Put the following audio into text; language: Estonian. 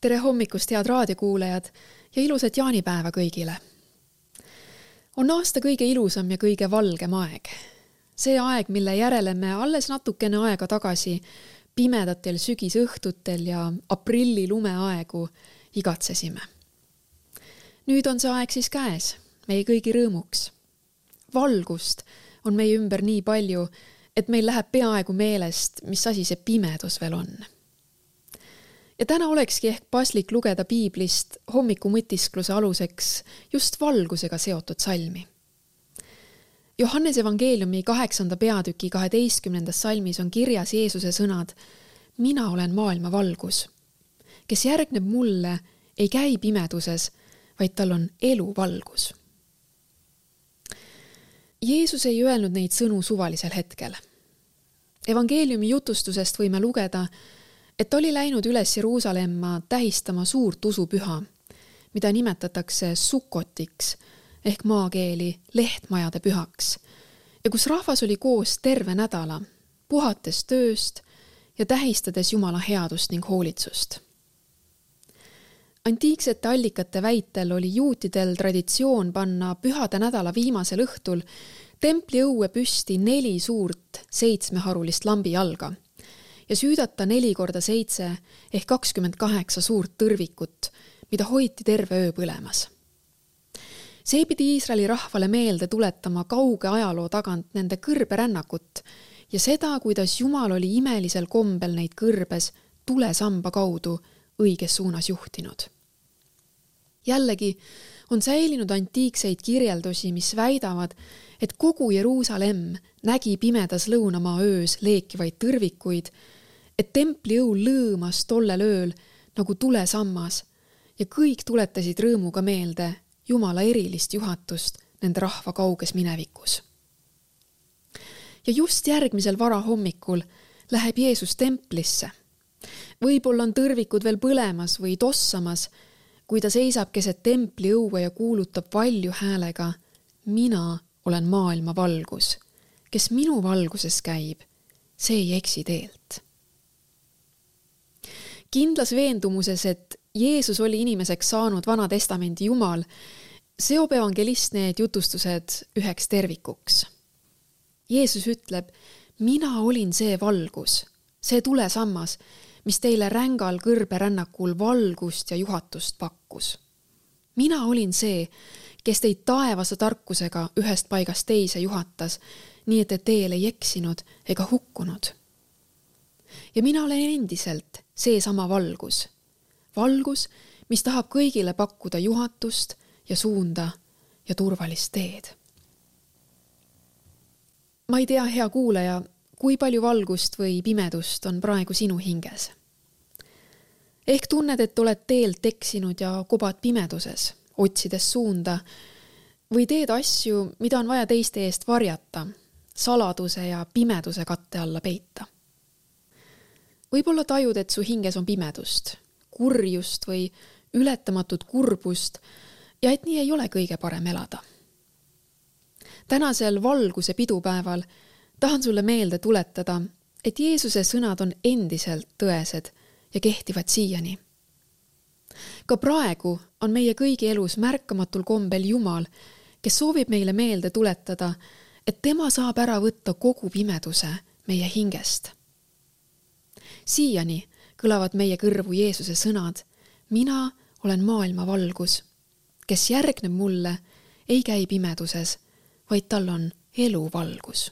Tere hommikust, head raadiokuulajad ja ilusat jaanipäeva kõigile. On aasta kõige ilusam ja kõige valgem aeg. See aeg, mille järele me alles natukene aega tagasi pimedatel sügisõhtutel ja aprilli lumeaegu igatsesime. Nüüd on see aeg siis käes, meie kõigi rõõmuks. Valgust on meie ümber nii palju, et meil läheb peaaegu meelest, mis asi see pimedus veel on. Ja täna olekski ehk paslik lugeda piiblist hommikumõtiskluse aluseks just valgusega seotud salmi. Johannes evangeeliumi 8. peatüki 12. salmis on kirjas Jeesuse sõnad: Mina olen maailma valgus. Kes järgneb mulle, ei käi pimeduses, vaid tal on elu valgus. Jeesus ei öelnud neid sõnu suvalisel hetkel. Evangeeliumi jutustusest võime lugeda, et oli läinud üles Jeruusalemma tähistama suurt usupüha, mida nimetatakse Sukkotiks ehk maakeeli lehtmajade pühaks, ja kus rahvas oli koos terve nädala, puhates tööst ja tähistades Jumala headust ning hoolitsust. Antiiksete allikate väitel oli juutidel traditsioon panna pühade nädala viimasel õhtul templi õue püsti 4 suurt 7-harulist lambijalga ja süüdata 4x7 ehk 28 suurt tõrvikut, mida hoiti terve öö põlemas. See pidi Iisraeli rahvale meelde tuletama kauge ajaloo tagant nende kõrberännakut ja seda, kuidas Jumal oli imelisel kombel neid kõrbes tulesamba kaudu õiges suunas juhtinud. Jällegi on säilinud antiikseid kirjeldusi, mis väidavad, et kogu Jeruusalemm nägi pimedas lõunamaa öös leekivaid tõrvikuid, et templi õu lõõmas tollel ööl nagu tulesammas ja kõik tuletasid rõõmuga meelde Jumala erilist juhatust nende rahva kauges minevikus. Ja just järgmisel varahommikul läheb Jeesus templisse. Võib-olla on tõrvikud veel põlemas või tossamas, kui ta seisab keset templi õue ja kuulutab valju häälega: Mina olen maailma valgus. Kes minu valguses käib, see ei eksi teelt. Kindlas veendumuses, et Jeesus oli inimeseks saanud Vana Testamendi Jumal, seob evangelist need jutustused üheks tervikuks. Jeesus ütleb: Mina olin see valgus, see tulesammas, mis teile rängal kõrberännakul valgust ja juhatust pakkus. Mina olin see, kes teid taevase tarkusega ühest paigast teise juhatas, nii et te teel ei eksinud ega hukkunud. Ja mina olen endiselt seesama valgus. Valgus, mis tahab kõigile pakkuda juhatust ja suunda ja turvalist teed. Ma ei tea, hea kuulaja, kui palju valgust või pimedust on praegu sinu hinges. Ehk tunned, et oled teelt eksinud ja kobad pimeduses, otsides suunda, või teed asju, mida on vaja teiste eest varjata, saladuse ja pimeduse katte alla peita. Võib-olla tajud, et su hinges on pimedust, kurjust või ületamatut kurbust ja et nii ei ole kõige parem elada. Tänasel valguse pidupäeval tahan sulle meelde tuletada, et Jeesuse sõnad on endiselt tõesed ja kehtivad siiani. Ka praegu on meie kõigi elus märkamatul kombel Jumal, kes soovib meile meelde tuletada, et tema saab ära võtta kogu pimeduse meie hingest. Siiani kõlavad meie kõrvu Jeesuse sõnad: Mina olen maailma valgus. Kes järgneb mulle, ei käi pimeduses, vaid tal on elu valgus.